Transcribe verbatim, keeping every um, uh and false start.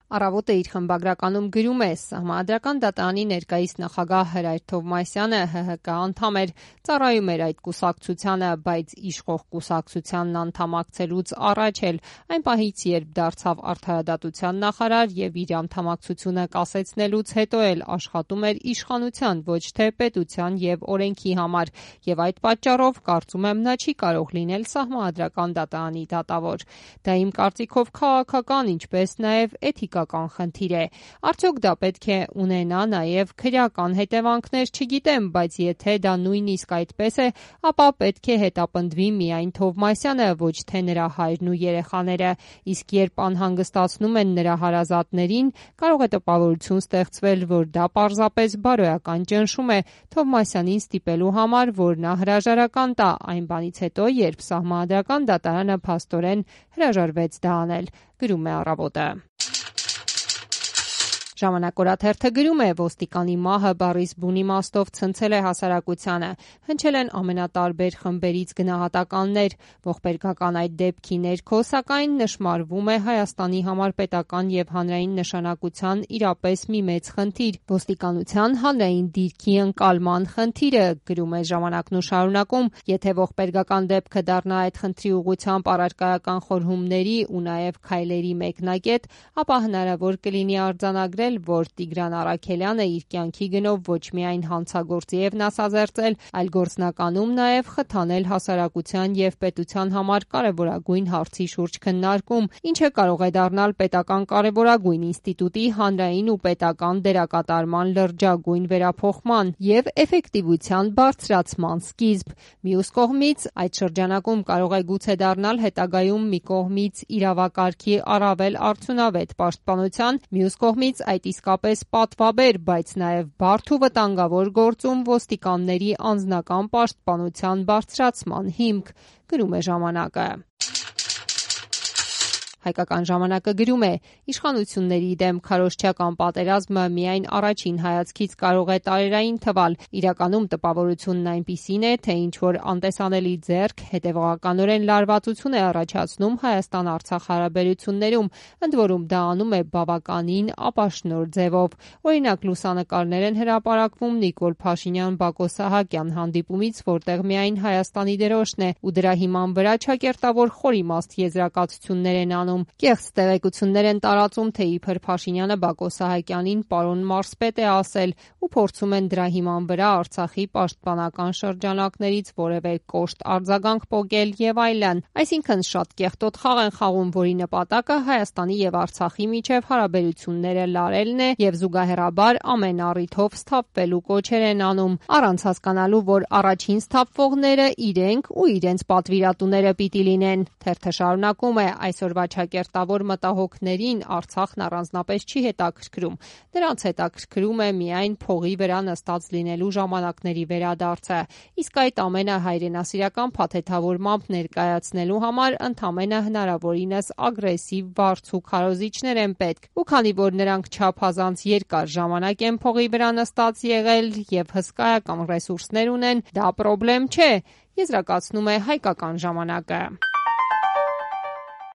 Առավոտը իր խմբագրականում գրում է. Սահմանադրական դատարանի ներկայիս նախագահ Հրայր Թովմասյանը Հ Հ Կ անդամ էր, ծառայում էր այդ կուսակցությանը, բայց իշխող կուսակցությանն անդամակցելուց առաջ էլ, այն պահից, երբ դարձավ արդարադատության նախարար եւ իր անդամակցությունը կասեցնելուց հետո էլ աշխատում էր իշխանության, ոչ թե պետության եւ օրենքի համար, եւ այդ պատճառով կարծում եմ նա չի կարող լինել Սահմանադրական դատարանի դատավոր։ Դա իմ կարծիքով քաղաքական, ինչպես նաեւ էթիկական խնդիր է։ Արդյոք դա պետք է ունենա նաև քրեական հետևանքներ, չգիտեմ, բայց եթե դա նույնիսկ այդպես է, ապա պետք է հետապնդվի միայն Թովմասյանը, ոչ թե նրա հայրն ու երեխաները, իսկ երբ անհանգստացնում են նրա հարազատներին, կարող է տպավորություն ստեղծվել, որ դա պարզապես բարոյական ճնշում է Թովմասյանին ստիպելու համար, որ նա հրաժարական տա այն բանից հետո, երբ Սահմանադրական դատարանը փաստորեն հրաժարվեց դա անել, գրում է Առավոտը։ Ժամանակ օրաթերթը գրում է. ոստիկանի մահը բառիս բուն իմաստով ցնցել է հասարակությանը, հնչել են ամենատարբեր խմբերից գնահատականներ, ողբերգական այդ դեպքի ներքո, սակայն նշմարվում է Հայաստանի համար պետական եւ հանրային նշանակության իրապես մի մեծ խնդիր՝ ոստիկանության հանրային դիրքի ընկալման խնդիրը, գրում է Ժամանակն ու շարունակում. եթե ողբերգական դեպքը դառնա այդ խնդրի ուղղությամբ առարկայական խորհումների ու նաեւ քայլերի մեկնակետ, ապա հնարավոր կլինի արձանագրել, որ Տիգրան Առաքելյանը իր կյանքի գնով ոչ միայն հանցագործի եւ նասազերծել, այլ գործնականում նաեւ խթանել հասարակության եւ պետության համար կարեւորագույն հարցի շուրջ քննարկում, ինչը կարող է դառնալ պետական կարեւորագույն ինստիտուտի հանրային ու պետական դերակատարման լրջագույն վերափոխման եւ էֆեկտիվության բարձրացման սկիզբ։ Մյուս կողմից, այդ շրջանակում կարող է գուցե դառնալ հետագայում մի կողմից իրավակարգի առավել արդյունավետ պաշտպանության, մյուս կողմից այդ իսկապես պատվաբեր, բայց նաև բարդ ու վտանգավոր գործում ոստիկանների անձնական պաշտպանության բարձրացման հիմք, գրում է Ժամանակը։ Հայկական ժամանակը գրում է. իշխանությունների դեմ քարոզչական պատերազմը միայն առաջին հայացքից կարող է տարերային թվալ, իրականում տպավորությունն այնպիսին է, թե ինչ-որ անտեսանելի ձեռք հետևողականորեն լարվածություն է առաջացնում Հայաստան-Արցախ հարաբերություններում, ընդ որում դա անում է բավականին ապաշնորհ ձևով։ Օրինակ, լուսանկարներ են հրապարակվում Նիկոլ Փաշինյան-Բակո Սահակյան հանդիպումից, որտեղ միայն Հայաստանի դրոշն է, ու դրա հիման վրա ճակերտավոր խորիմաստ եզրակացություններ են անում։ Կեղծ տեղեկություններ են տարածում, թե իբր Փաշինյանը Բակո Սահակյանին պարոն Մարսպետ է ասել ու փորձում են դրա հիման վրա Արցախի պաշտպանական շրջանակներից որևէ կոշտ արձագանք պոկել եւ այլն։ Այսինքն շատ կեղտոտ խաղ են խաղում, որի նպատակը Հայաստանի եւ Արցախի միջև հարաբերությունները լարելն է եւ զուգահեռաբար ամեն առիթով սթափվելու կոչեր են անում, առանց հասկանալու, որ առաջին սթափվողները իրենք ու իրենց պատվիրատուները պիտի լինեն։ Թերթը շարունակում է. այսօրվա ճակերտավոր մտահոգներին Արցախն առանձնապես չի հետաքրքրում։ Նրանց հետաքրքրում է միայն փողի վրա նստած լինելու ժամանակների վերադարձը։ Իսկ այդ ամենը հայրենասիրական փաթեթավորմամբ ներկայացնելու համար ընդամենը հնարավորինս ագրեսիվ վարձ ու քարոզիչներ են պետք։ Ու քանի որ նրանք չափազանց երկար ժամանակ են փողի վրա նստած եղել եւ հսկայական ռեսուրսներ ունեն, դա պրոբլեմ չէ, եզրակացնում է Հայկական ժամանակը։